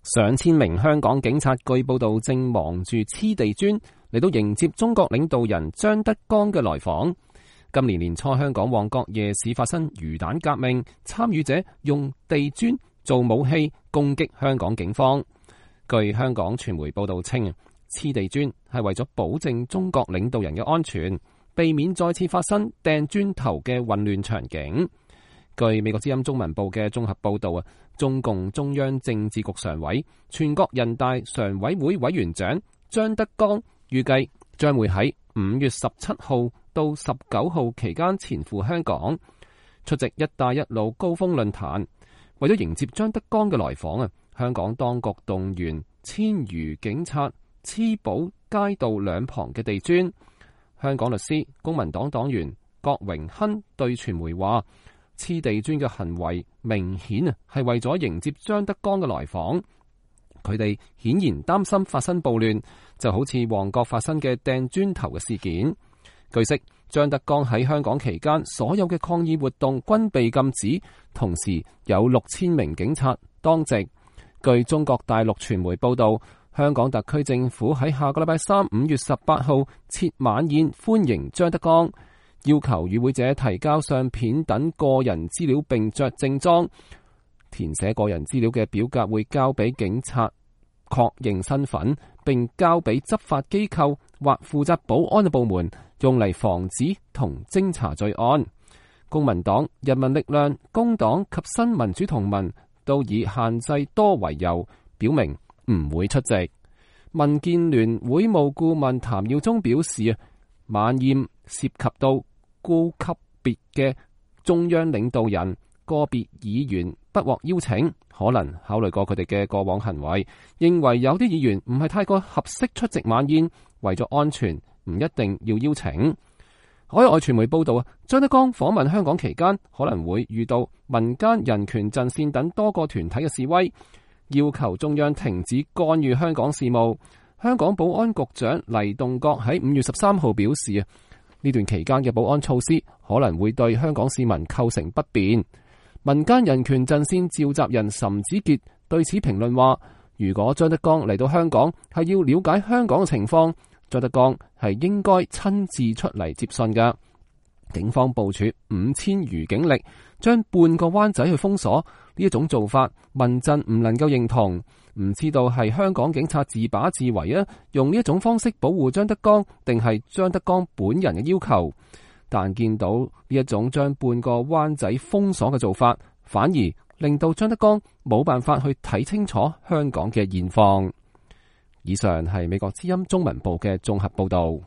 上千名香港警察據報道正忙住黐地磚嚟到迎接中國領導人張德江嘅來訪。今年年初，香港旺角夜市發生魚蛋革命，參與者用地磚做武器攻擊香港警方。據香港傳媒報道稱，黐地磚係為咗保證中國領導人嘅安全，避免再次發生掟磚頭嘅混亂場景。據美國之音中文部嘅綜合報道，中共中央政治局常委、全國人大常委會委員長張德江預計將會喺5月17號到19號期間前赴香港出席一帶一路高峰論壇。為咗迎接張德江嘅來訪，香港當局動員1000餘警察黐補街道兩旁嘅地磚。香港律師、公民黨黨員郭榮鏗對傳媒話：黐地磚嘅行為明顯係為咗迎接張德江嘅來訪，佢哋顯然擔心發生暴亂，就好似旺角發生嘅掟磚頭嘅事件。據悉，張德江喺香港期間，所有嘅抗議活動均被禁止，同時有6000名警察當值。據中國大陸傳媒報道，香港特區政府喺下個禮拜三5月18號設晚宴歡迎張德江，要求與會者提交相片等個人資料並着正裝，填寫個人資料嘅表格會交俾警察確認身份，並交俾執法機構或負責保安嘅部門，用嚟防止同偵查罪案。公民黨、人民力量、工黨及新民主同盟都以限制多為由，表明唔會出席。民建聯會務顧問譚耀宗表示，晚宴涉及到高級別嘅中央領導人，個別議員不獲邀請，可能考慮過佢哋嘅過往行為，認為有啲議員唔係太過合適出席晚宴，為咗安全唔一定要邀請。海外傳媒報道，張德江訪問香港期間可能會遇到民間人權陣線等多個團體嘅示威，要求中央停止干預香港事務。香港保安局長黎棟國喺5月13號表示，呢段期間嘅保安措施可能會對香港市民構成不便。民間人權陣線召集人岑子傑對此評論話，如果張德江嚟到香港係要了解香港嘅情況，張德江係應該親自出嚟接信㗎。警方部署5000餘警力，將半個灣仔去封鎖，呢一種做法，民陣唔能夠認同。唔知道係香港警察自把自為啊，用呢一種方式保護張德江，定係張德江本人嘅要求？但見到呢一種將半個灣仔封鎖嘅做法，反而令到張德江冇辦法去睇清楚香港嘅現況。以上係美國之音中文部嘅綜合報道。